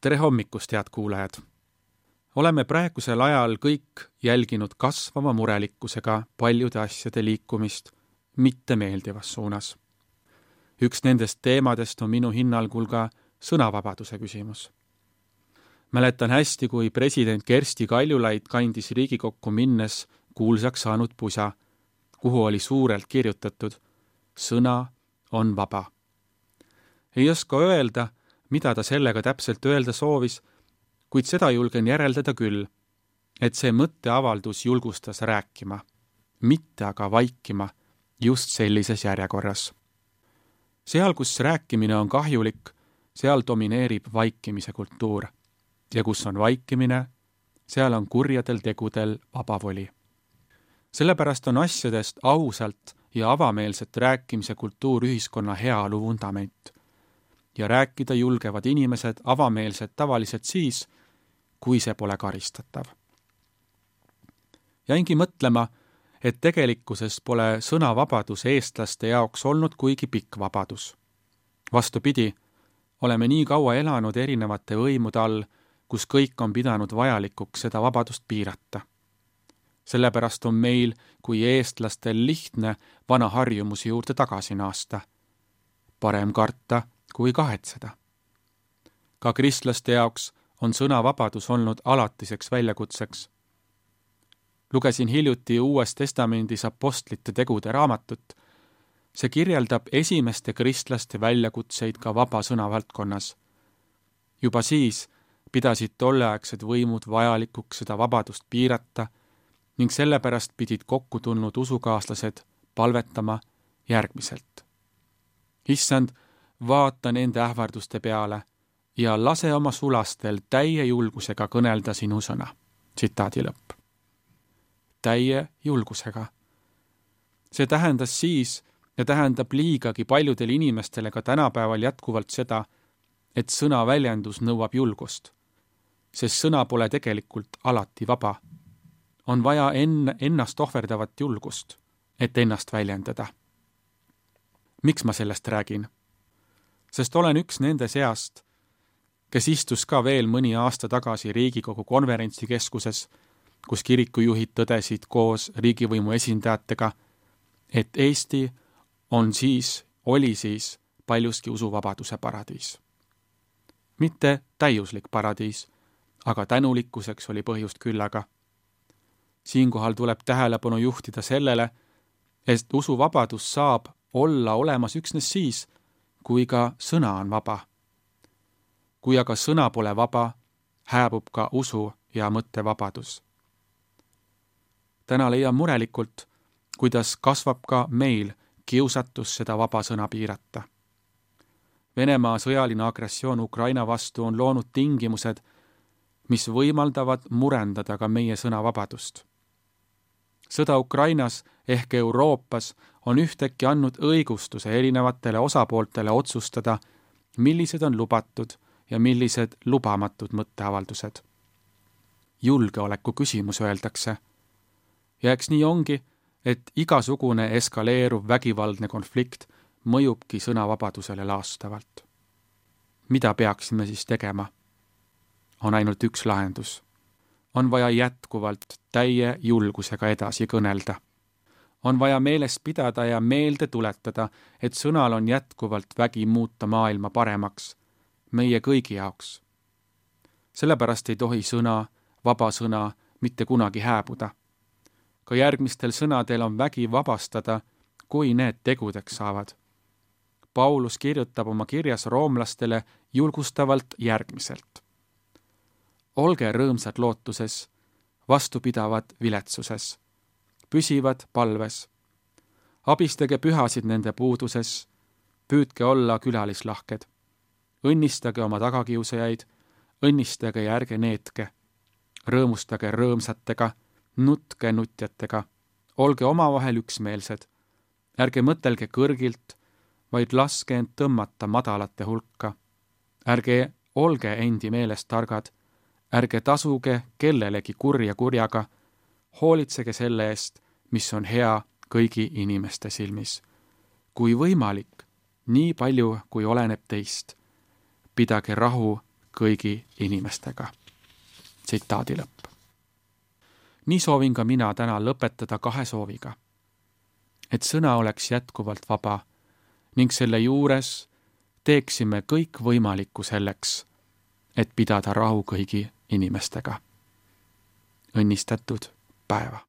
Tere hommikust, head kuulajad! Oleme praegusel ajal kõik jälginud kasvava murelikkusega paljude asjade liikumist mittemeeldivas suunas. Üks nendest teemadest on minu hinnangul ka sõnavabaduse küsimus. Mäletan hästi, kui president Kersti Kaljulaid kandis Riigikokku minnes kuulsaks saanud pusa, kuhu oli suurelt kirjutatud: sõna on vaba. Ei oska öelda, mida ta sellega täpselt öelda soovis, kuid seda julgen järeldada küll, et see mõtteavaldus julgustas rääkima, mitte aga vaikima just sellises järjekorras. Seal, kus rääkimine on kahjulik, seal domineerib vaikimise kultuur. Ja kus on vaikimine, seal on kurjadel tegudel vabavoli. Sellepärast on asjadest ausalt ja avameelset rääkimise kultuur ühiskonna heaolu vundament. Ja rääkida julgevad inimesed avameelselt tavaliselt siis, kui see pole karistatav. Jäingi mõtlema, et tegelikkuses pole sõnavabadus eestlaste jaoks olnud kuigi pikk vabadus. Vastupidi, oleme nii kaua elanud erinevate võimude all, kus kõik on pidanud vajalikuks seda vabadust piirata. Sellepärast on meil kui eestlastel lihtne vana harjumusi juurde tagasi naasta. Parem karta kui kahetseda. Ka kristlaste jaoks on sõnavabadus olnud alatiseks väljakutseks. Lugesin hiljuti Uues Testamendis apostlite tegude raamatut. See kirjeldab esimeste kristlaste väljakutseid ka vaba sõna valdkonnas. Juba siis pidasid tolleaegsed võimud vajalikuks seda vabadust piirata ning sellepärast pidid kokku tulnud usukaaslased palvetama järgmiselt. Issand, vaata nende ähvarduste peale ja lase oma sulastel täie julgusega kõnelda sinu sõna. Tsitaadi lõpp. Täie julgusega. See tähendas siis ja tähendab liigagi paljudele inimestele ka tänapäeval jätkuvalt seda, et sõna väljendus nõuab julgust, sest sõna pole tegelikult alati vaba. On vaja ennast ohverdavat julgust, et ennast väljendada. Miks ma sellest räägin? Sest olen üks nende seast, kes istus ka veel mõni aasta tagasi Riigikogu konverentsikeskuses, kus kirikujuhid tõdesid koos riigivõimu esindajatega, et Eesti oli siis paljuski usuvabaduse paradiis. Mitte täiuslik paradiis, aga tänulikkuseks oli põhjust küllaga. Siinkohal tuleb tähelepanu juhtida sellele, et usuvabadus saab olla olemas üksnes siis, kui ka sõna on vaba. Kui aga sõna pole vaba, hääbub ka usu ja mõttevabadus. Täna leian murelikult, kuidas kasvab ka meil kiusatus seda vaba sõna piirata. Venemaa sõjaline agressioon Ukraina vastu on loonud tingimused, mis võimaldavad murendada ka meie sõnavabadust. Sõda Ukrainas ehk Euroopas on ühtäkki andnud õigustuse erinevatele osapooltele otsustada, millised on lubatud ja millised lubamatud mõtteavaldused. Julgeoleku küsimus öeldakse. Ja eks nii ongi, et igasugune eskaleeruv vägivaldne konflikt mõjubki sõnavabadusele laastavalt. Mida peaksime siis tegema? On ainult üks lahendus. On vaja jätkuvalt täie julgusega edasi kõnelda. On vaja meeles pidada ja meelde tuletada, et sõnal on jätkuvalt vägi muuta maailma paremaks, meie kõigi jaoks. Sellepärast ei tohi sõna, vaba sõna, mitte kunagi hääbuda. Ka järgmistel sõnadel on vägi vabastada, kui need tegudeks saavad. Paulus kirjutab oma kirjas roomlastele julgustavalt järgmiselt. Olge rõõmsad lootuses, vastupidavad viletsuses, püsivad palves. Abistage pühasid nende puuduses, püüdke olla külalislahked. Õnnistage oma tagakiusajaid, õnnistage ja ärge neetke. Rõõmustage rõõmsatega, nutke nutjatega, olge omavahel üksmeelsed. Ärge mõtelge kõrgilt, vaid laske end tõmmata madalate hulka. Ärge olge endi meelest targad, ärge tasuge kellelegi kurja kurjaga, hoolitsege selle eest, mis on hea kõigi inimeste silmis. Kui võimalik, nii palju kui oleneb teist. Pidage rahu kõigi inimestega. Tsitaadi lõpp. Nii soovin ka mina täna lõpetada 2 sooviga. Et sõna oleks jätkuvalt vaba ning selle juures teeksime kõik võimalikku selleks, et pidada rahu kõigi inimestega. Õnnistatud päeva!